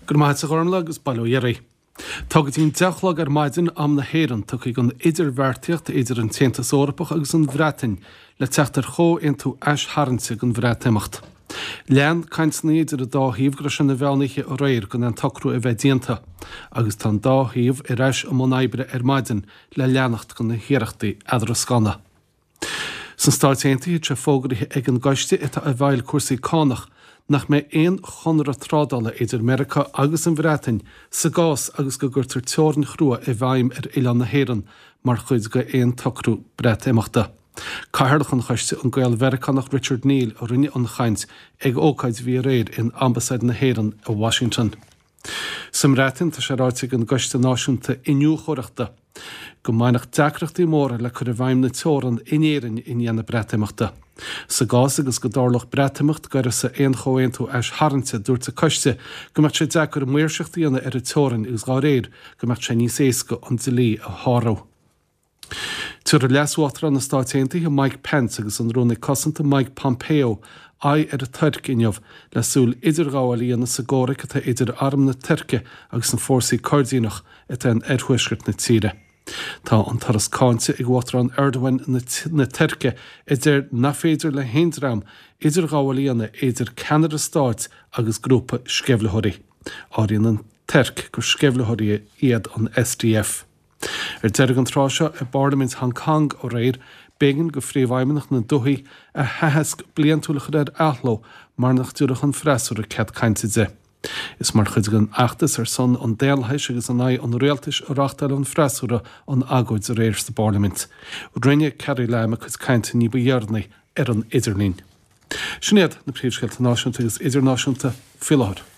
Go raibh maith agat a Ghormlaith agus bail ó Dhia oraibh. Tá go dtí an 10 a chlog ar maidin, am na hÉireann, tugtha ag an idirbheartaíocht idir an tAontas Eorpach agus an Bhreatain le teacht ar chomhaontú aistharraingte den Bhreatimeacht. Lean cainteanna idir an dá thaobh go raibh sé ina mheán oíche aréir gan aon tsocrú a bheith déanta agus tá an dá thaobh ar ais i mbun oibre ar maidin le leanacht de na hiarrachtaí eadrascána. Sna Stáit Aontaithe, tá sé fógraithe ag an gcoiste atá i bhfeighil cúrsaí cánach nach mbeidh aon chonradh trádála idir Meiriceá agus an Bhreatain sa gcás agus go gcuirtear teorainn chrua i bhfeidhm ar oileán na hÉireann mar chuid d'aon tsocrú Breatimeachta. Cathaoirleach an choiste, an Gael-Mheiriceánach Richard Neal, a rinne an chaint ag ócáid a bhí aréir in Ambasáid na hÉireann i Washington. Sa mBreatain, tá sé ráite ag an gCoiste Náisiúnta Iniúchóireachta go mbainfeadh deacrachtaí móra le cur i bhfeidhm na teorann in Éirinn i ndiaidh na Breatimeachta. Sa gcás agus go dtarlódh Breatimeacht d'uireasa aon chomhaontú aistharraingte, dúirt an coiste go mbeadh sé deacair maoirseacht a dhéanamh ar an teorainn agus dá réir go mbeadh sé níos éasca an dlí a shárú. Tabharfaidh Leas-Uachtarán na Stáit Aontaithe Mike Pence agus an Rúnaí Cosanta Mike Pompeo aghaidh ar an Tuirc inniu le súil idirghabháil a dhéanamh sa gcomhrac atá idir arm na Tuirce agus na fórsaí Coirdíneach atá in oirthuaisceart na tíre. Tá an turas cáinte ag Uachtarán Erdogan na Tuirce a deir nach féidir le haon dream idirghabháil a dhéanamh idir ceannaire stáit agus grúpa sceimhlitheoirí. Áiríonn an Tuirc gur sceimhlitheoirí iad an SDF. Ar deireadh an tráth seo i bParlaimint Hong Kong aréir, b'éigean do Phríomhfheidhmeannach na dúichí a haitheasc bliantúil a chur ar athló mar nach dtabharfadh an freasúra cead cainte di. Is mar chuid den fheachtas ar son an daonlathais agus in aghaidh an rialtais a reáchtáil an freasúra an agóid aréir sa bParlaimint. Rinne Carrie Lam a cuid cainte ní ba dheireanaí ar an idirlíon. Sin iad na príomhscéalta náisiúnta agus idirnáisiúnta faoi láthair.